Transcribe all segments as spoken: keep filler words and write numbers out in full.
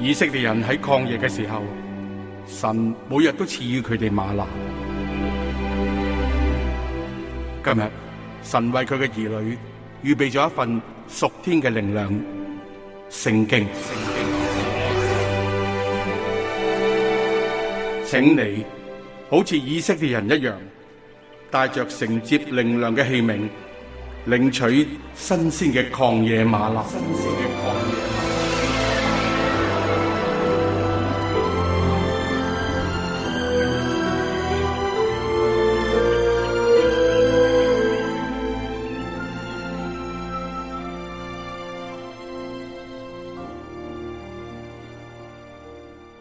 以色列人喺曠野嘅時候，神每日都賜予佢哋嗎哪。今日神為佢嘅兒女預備咗一份屬天嘅靈糧——聖經。請你好似以色列人一樣，帶着承接靈糧嘅器皿，領取新鮮嘅曠野嗎哪。新鮮嘅曠野嗎哪。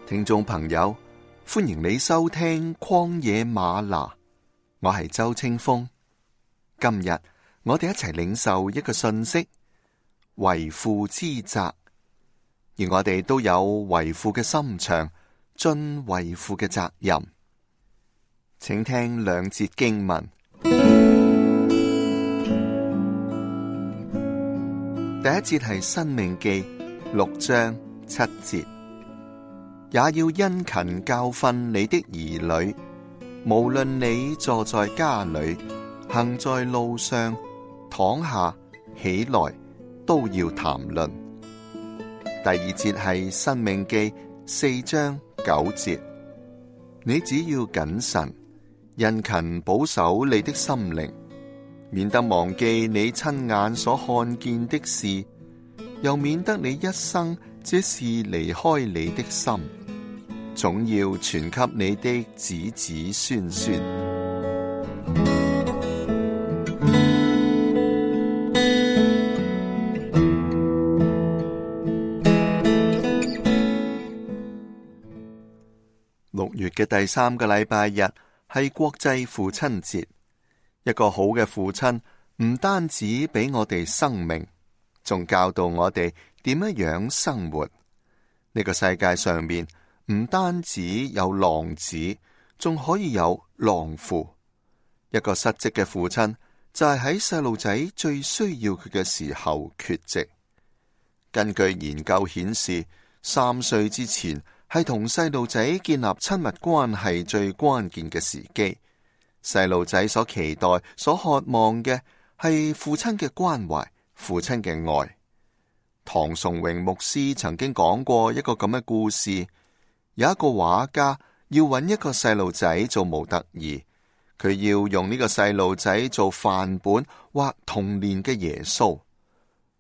聽眾朋友，歡迎你收聽曠野嗎哪，我係周清風。今日我哋一齊領受一個信息，為父之責，而我哋都有為父嘅心腸，盡為父嘅責任。請聽兩節經文。第一節係申命記六章七節。也要殷勤教訓你的兒女，無論你坐在家裏，行在路上，躺下起來，都要談論。第二節係申命記四章九節。你只要謹慎，殷勤保守你的心靈，免得忘記你親眼所看見的事，又免得你一生這事離開你的心，總要傳給你的子子孫孫。六月嘅第三個禮拜日係國際父親節。一個好嘅父親唔單止俾我哋生命，仲教導我哋點樣樣生活。呢個世界上面唔單止有浪子，仲可以有浪父。一個失職嘅父親就係喺細路仔最需要佢嘅時候缺席。根據研究顯示，三歲之前係同細路仔建立親密關係最關鍵嘅時機。細路仔所期待、所渴望嘅係父親嘅關懷、父親嘅愛。唐崇榮牧師曾經講過一個咁嘅故事。有一個畫家要揾一個細路仔做模特兒，佢要用呢個細路仔做範本畫童年嘅耶穌。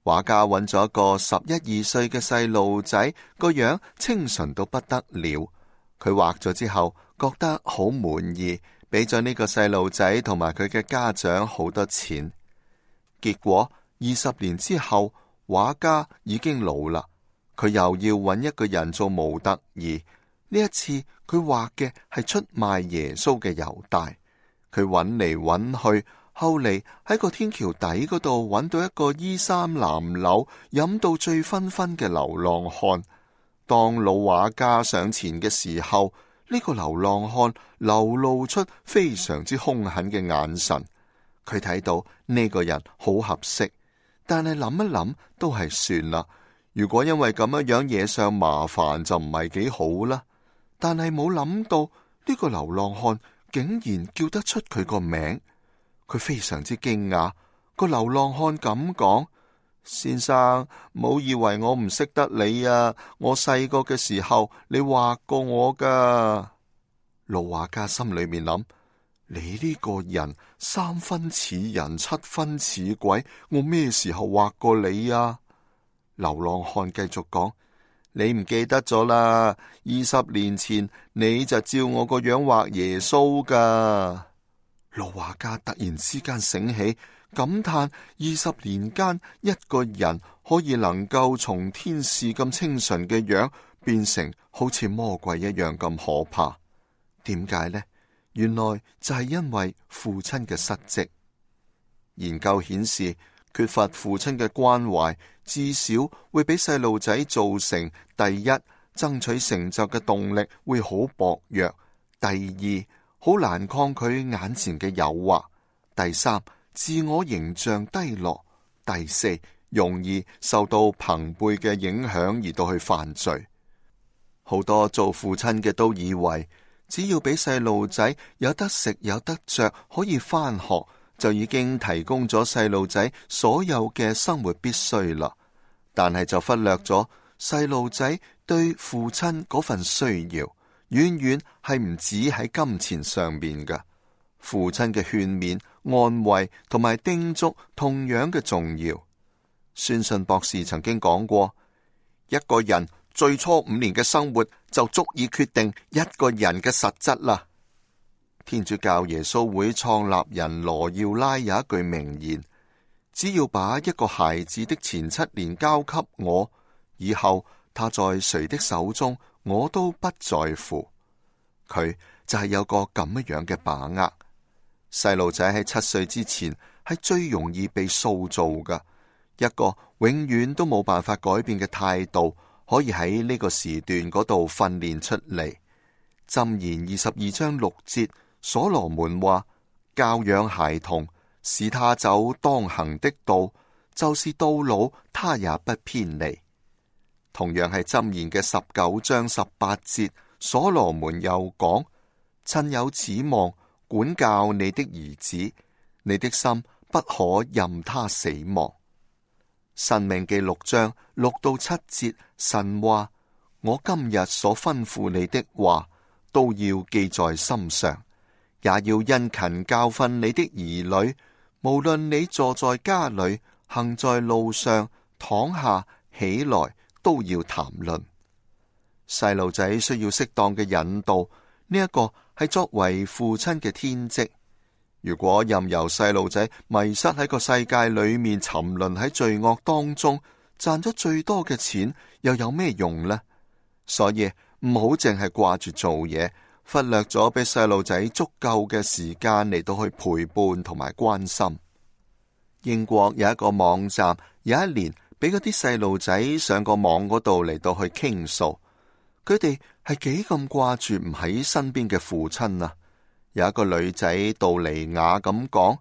畫家揾咗一個十一二歲嘅細路仔，個樣清純到不得了。佢畫咗之後覺得好滿意，俾咗呢個細路仔同埋佢嘅家長好多錢。結果二十年之後，畫家已經老啦，佢又要揾一個人做模特兒。呢一次佢畫嘅係出賣耶穌嘅猶大。佢揾嚟揾去，後嚟喺個天橋底嗰度揾到一個衣衫襤褸、飲到醉醺醺嘅流浪漢。當老畫家上前嘅時候，呢個流浪漢流露出非常之兇狠嘅眼神。佢睇到呢個人好合適，但係諗一諗都係算啦。如果因為咁樣樣惹上麻煩，就唔係幾好啦。但係冇諗到呢個流浪漢竟然叫得出佢個名，佢非常之驚訝。個流浪漢咁講：先生，唔好以為我唔識得你啊！我細個嘅時候，你畫過我噶。老畫家心裏面諗：你呢個人三分似人，七分似鬼，我咩時候畫過你啊？流浪漢繼續講：你唔記得咗啦？二十年前你就照我個樣畫耶穌噶。老畫家突然之間醒起，感嘆二十年間一個人可以能夠從天使咁清純嘅樣變成好似魔鬼一樣咁可怕。點解呢？原來就係因為父親嘅失職。研究顯示，缺乏父親嘅關懷，至少會俾細路仔造成：第一，爭取成就嘅動力會好薄弱；第二，好難抗拒眼前嘅誘惑；第三，自我形象低落；第四，容易受到朋輩嘅影響而到去犯罪。好多做父親嘅都以為，只要俾細路仔有得食有得着，可以返學，就已經提供咗細路仔所有嘅生活必須啦。但係就忽略咗細路仔對父親嗰份需要，遠遠係唔止喺金錢上面㗎。父親嘅勸勉、安慰同埋叮囑同樣嘅重要。宣信博士曾經講過，一個人最初五年嘅生活就足以決定一個人嘅實質啦。天主教耶穌會創立人羅耀拉有一句名言，只要把一個孩子的前七年交給我，以後他在誰的手中我都不在乎。佢就係有個咁樣嘅把握。細路仔喺七歲之前係最容易被塑造㗎，一個永遠都冇辦法改變嘅態度，可以喺呢個時段嗰度訓練出嚟。箴言二十二章六節，所羅門話：教養孩童，使他走當行的道，就是到老他也不偏離。同樣係箴言嘅十九章十八節，所羅門又講：趁有指望，管教你的兒子，你的心不可任他死亡。申命記六章六到七節，神話：我今日所吩咐你的話，都要記在心上，也要殷勤教訓你的兒女。無論你坐在家裏，行在路上，躺下起來，都要談論。細路仔需要適當嘅引導，呢、這、一個係作為父親嘅天職。如果任由細路仔迷失喺個世界裏面，沉淪喺罪惡當中，賺咗最多嘅錢又有咩用呢？所以唔好淨係掛住做嘢，忽略咗俾細路仔足夠嘅時間嚟到去陪伴同埋關心。英國有一個網站，有一年俾嗰啲細路仔上個網嗰度嚟到去傾訴，佢哋係幾咁掛住唔喺身邊嘅父親啊！有一個女仔杜尼亞咁講：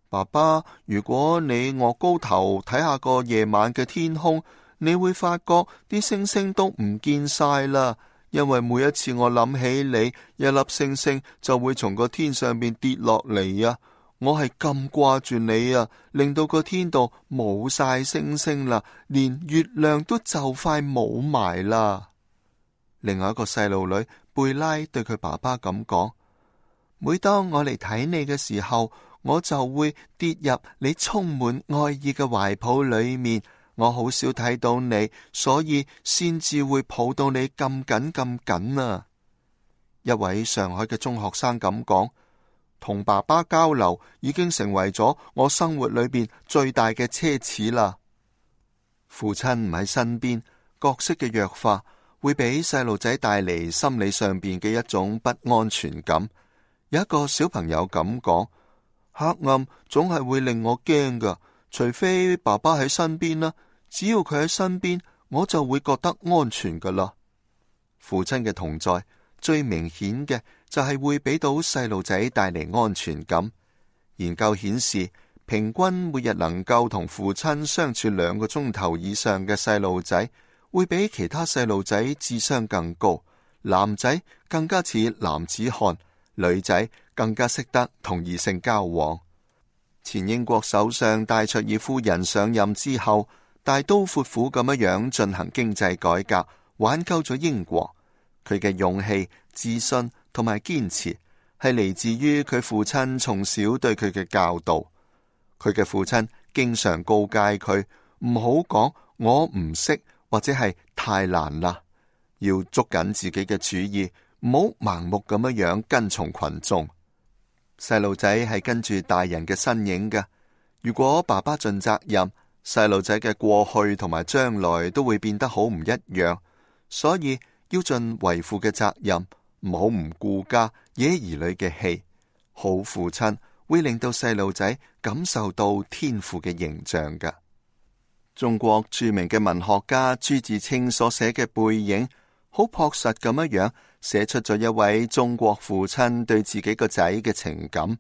爸爸，如果你臥高頭睇下個夜晚嘅天空，你會發覺啲星星都唔見晒啦。因為每一次我諗起你，一粒星星就會從個天上邊跌落嚟啊！我係咁掛住你啊，令到個天度冇晒星星啦，連月亮都就快冇埋啦。另外一個細路女貝拉對佢爸爸咁講：每當我嚟睇你嘅時候，我就會跌入你充滿愛意嘅懷抱裏面。我好少睇到你，所以先至會抱到你咁緊咁緊啊！一位上海嘅中學生咁講：同爸爸交流已經成為咗我生活裏邊最大嘅奢侈啦。父親唔喺身邊，角色嘅弱化會俾細路仔帶嚟心理上邊嘅一種不安全感。有一個小朋友咁講：黑暗總係會令我驚噶，除非爸爸喺身邊啦。只要佢喺身邊，我就會覺得安全噶啦。父親嘅同在最明顯嘅就係會俾到細路仔帶嚟安全感。研究顯示，平均每日能夠同父親相處兩個鐘頭以上嘅細路仔，會比其他細路仔智商更高，男仔更加似男子漢，女仔更加識得同異性交往。前英國首相戴卓爾夫人上任之後，大刀闊斧咁樣樣進行經濟改革，挽救咗英國。佢嘅勇氣、自信同埋堅持，係嚟自於佢父親從小對佢嘅教導。佢嘅父親經常告誡佢唔好講我唔識或者係太難啦，要捉緊自己嘅主意，唔好盲目咁樣樣跟從群眾。細路仔係跟住大人嘅身影嘅，如果爸爸盡責任，細路仔嘅過去同埋將來都會變得好唔一樣，所以要盡為父嘅責任，唔好唔顧家惹兒女嘅氣。好父親會令到細路仔感受到天父嘅形象㗎。中國著名嘅文學家朱自清所寫嘅《背影》，好樸實咁樣樣寫出咗一位中國父親對自己個仔嘅情感。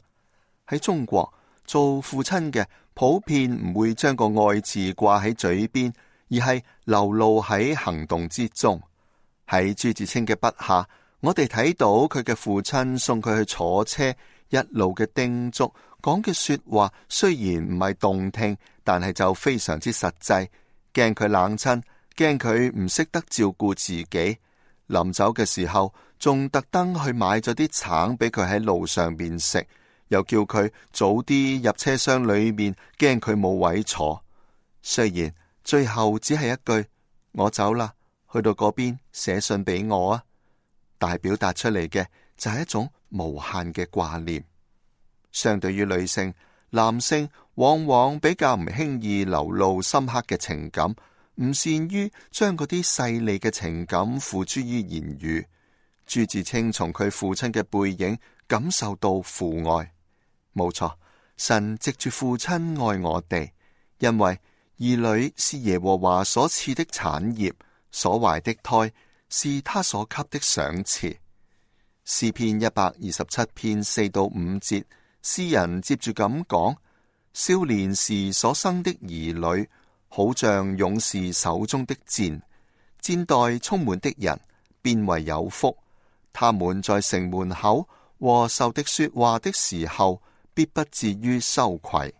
喺中國，做父親嘅普遍唔會將個愛字掛喺嘴邊，而係流露喺行動之中。喺朱自清嘅筆下，我哋睇到佢嘅父親送佢去坐車，一路嘅叮囑，講嘅說話雖然唔係動聽，但係就非常之實際。驚佢冷親，驚佢唔識得照顧自己。臨走嘅時候，仲特登去買咗啲橙俾佢喺路上邊食，又叫佢早啲入車廂裏面，驚佢冇位坐。雖然最後只係一句我走啦，去到嗰邊寫信俾我啊，但係表達出嚟嘅就係一種無限嘅掛念。相對於女性，男性往往比較唔輕易流露深刻嘅情感，唔善於將嗰啲細膩嘅情感付諸於言語。朱自清從佢父親嘅背影感受到父愛。冇錯，神藉住父親愛我哋，因為兒女是耶和華所賜的產業，所懷的胎是他所給的賞賜。詩篇一百二十七篇四到五節，詩人接住咁講：少年時所生的兒女，好像勇士手中的箭，箭袋充滿的人，便為有福。他們在城門口和仇敵說話的時候，必不至於羞愧。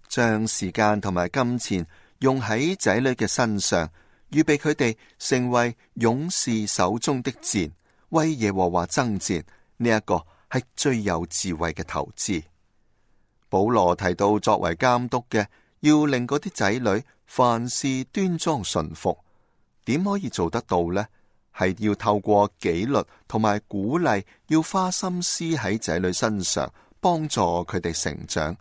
將時間同埋金錢用喺仔女嘅身上，預備佢哋成為勇士手中的箭，為耶和華爭戰，呢一個係最有智慧嘅投資。保羅提到，作為監督嘅，要令嗰啲仔女凡事端莊順服。點可以做得到呢？係要透過紀律同埋鼓勵，要花心思喺仔女身上，幫助佢哋成長。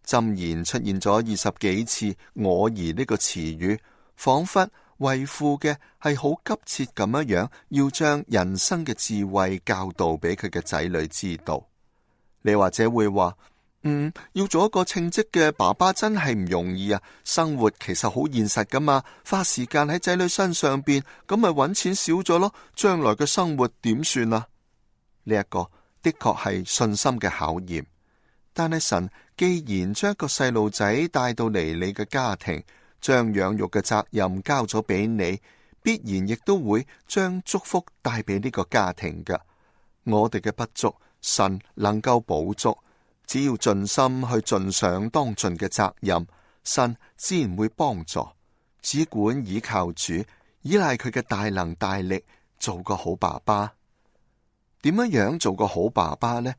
箴言出現咗二十幾次我兒呢個詞語，仿佛為父嘅係好急切咁樣樣，要將人生嘅智慧教導俾佢嘅仔女知道。你或者會話，嗯，要做一個稱職嘅爸爸真係唔容易啊！生活其實好現實噶嘛，花時間喺仔女身上邊，咁咪搵錢少咗咯，將來嘅生活點算啊？呢一個的確係信心嘅考驗。但係神既然將一個細路仔帶到嚟你嘅家庭，將養育嘅責任交咗俾你，必然亦都會將祝福帶俾呢個家庭噶。我哋嘅不足，神能夠補足。只要盡心去盡上當盡嘅責任，神自然會幫助。只管倚靠主，依賴佢嘅大能大力，做個好爸爸。點樣樣做個好爸爸呢？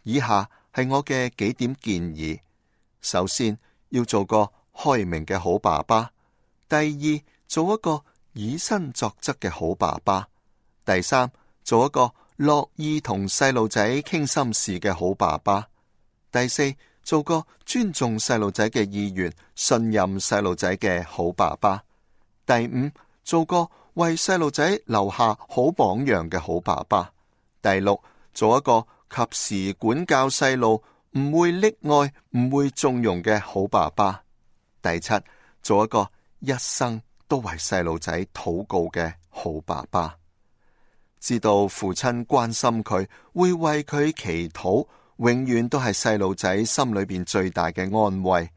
以下係我嘅幾點建議。首先，要做個開明嘅好爸爸；第二，做一個以身作則嘅好爸爸；第三，做一個樂意同細路仔傾心事嘅好爸爸；第四，做個尊重細路仔嘅意願、信任細路仔嘅好爸爸；第五，做個為細路仔留下好榜樣嘅好爸爸；第六，做一個及時管教細路、唔會溺愛、唔會縱容嘅好爸爸；第七，做一個一生都為細路仔禱告嘅好爸爸。知道父親關心佢，會為佢祈禱，永遠都係細路仔心裏邊最大嘅安慰。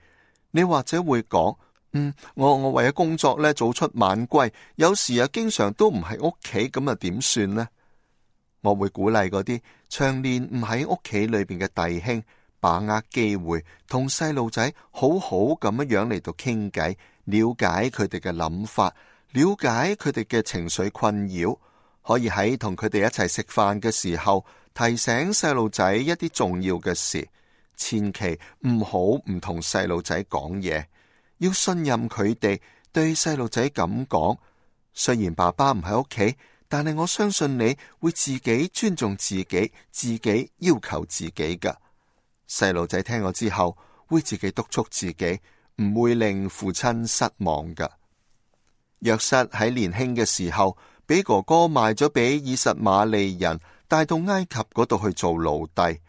你或者會講，嗯，我我為咗工作咧，早出晚歸，有時啊經常都唔喺屋企，咁啊點算呢？我會鼓勵嗰啲長年唔喺屋企裏邊嘅弟兄，把握機會同細路仔好好咁樣樣嚟到傾偈，了解佢哋嘅諗法，了解佢哋嘅情緒困擾，可以喺同佢哋一齊食飯嘅時候提醒細路仔一啲重要嘅事。千祈唔好唔同細路仔講嘢，要信任佢哋，對細路仔咁講，雖然爸爸唔喺屋企，但係我相信你會自己尊重自己，自己要求自己噶。細路仔聽我之後會自己督促自己，唔會令父親失望噶。約瑟喺年輕嘅時候俾哥哥賣咗俾以實瑪利人，帶到埃及嗰度去做奴隸。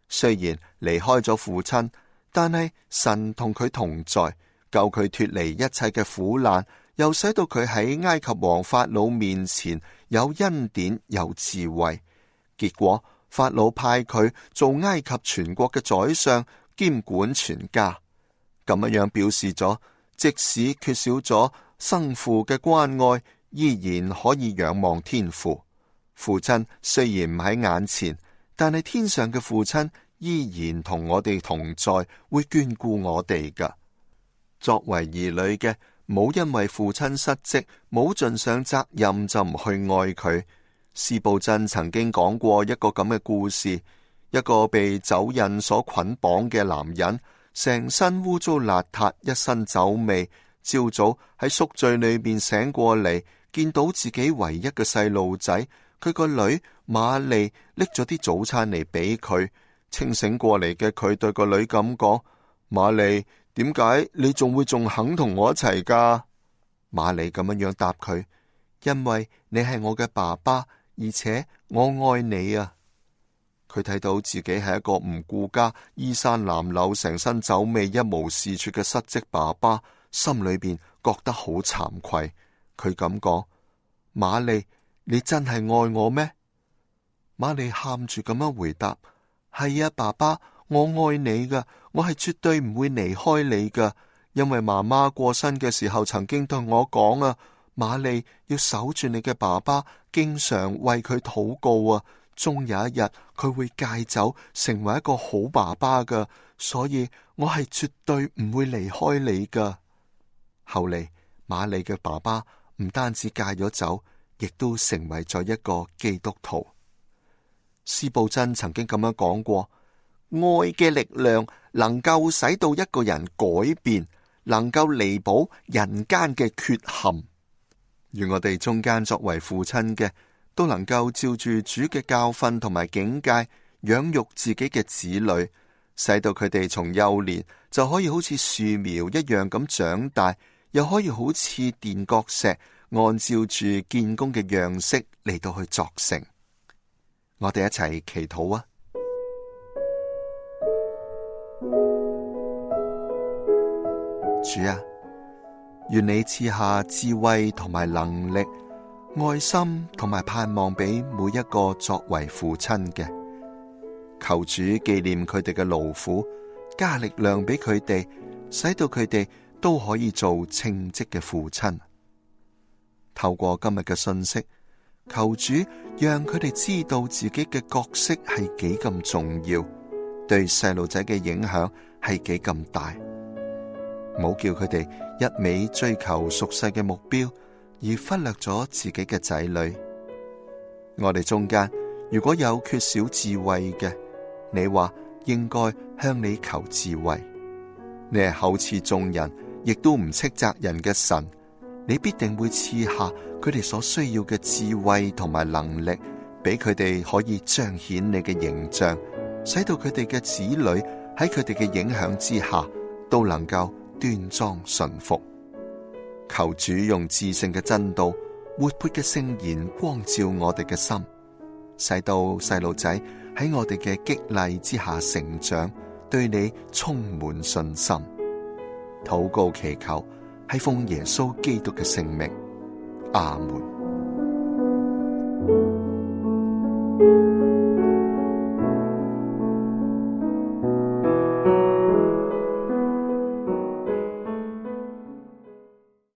雖然離開咗父親，但係神同佢同在，救佢脫離一切嘅苦難，又使到佢喺埃及王法老面前有恩典有智慧。結果法老派佢做埃及全國嘅宰相，兼管全家。咁樣表示咗，即使缺少咗生父嘅關愛，依然可以仰望天父。父親雖然唔喺眼前，但係天上嘅父親依然同我哋同在，會眷顧我哋噶。作為兒女嘅，冇因為父親失職，冇盡上責任就唔去愛佢。司布真曾經講過一個咁嘅故事，一個被酒癮所捆綁嘅男人，成身污糟邋遢，一身酒味，朝早喺宿醉裏面醒過嚟，見到自己唯一嘅細路仔，佢個女瑪麗拎咗啲早餐嚟俾佢。清醒過嚟嘅佢對個女咁講：瑪麗，點解你仲會仲肯同我一齊噶？瑪麗咁樣樣答佢：因為你係我嘅爸爸，而且我愛你啊！佢睇到自己係一個唔顧家、衣衫襤褸、成身酒味、一無是處嘅失職爸爸，心裏邊覺得好慚愧。佢咁講：瑪麗，你真係愛我咩？瑪麗喊住咁樣回答：係啊，爸爸，我愛你噶，我係絕對唔會離開你噶。因為媽媽過身嘅時候曾經對我講啊，瑪麗要守住你嘅爸爸，經常為佢禱告啊，終有一日佢會戒酒，成為一個好爸爸噶，所以我係絕對唔會離開你噶。後嚟瑪麗嘅爸爸唔單止戒咗酒，亦都成為咗一個基督徒。司布真曾經咁樣講過：愛嘅力量能夠使到一個人改變，能夠彌補人間嘅缺陷。願我哋中間作為父親嘅，都能夠照住主嘅教訓同埋警戒，養育自己嘅子女，使到佢哋從幼年就可以好似樹苗一樣咁長大，又可以好似墊腳石，按照住建功嘅樣式嚟到去作成。我哋一齊祈禱啊！主啊，願你賜下智慧同埋能力、愛心同埋盼望俾每一個作為父親嘅。求主紀念佢哋嘅勞苦，加力量俾佢哋，使到佢哋都可以做稱職嘅父親。透過今日嘅信息，求主讓佢哋知道自己嘅角色係幾咁重要，對細路仔嘅影響係幾咁大。唔好叫佢哋一味追求俗世嘅目標，而忽略咗自己嘅仔女。我哋中間如果有缺少智慧嘅，你話應該向你求智慧。你係厚賜眾人，亦都唔斥責人嘅神，你必定會賜下佢哋所需要嘅智慧同埋能力，俾佢哋可以彰顯你嘅形象，使到佢哋嘅子女喺佢哋嘅影響之下，都能夠端莊順服。求主用至聖嘅真道、活潑嘅聖言光照我哋嘅心，使到細路仔喺我哋嘅激勵之下成長，對你充滿信心。禱告祈求係奉耶穌基督嘅聖名，阿門。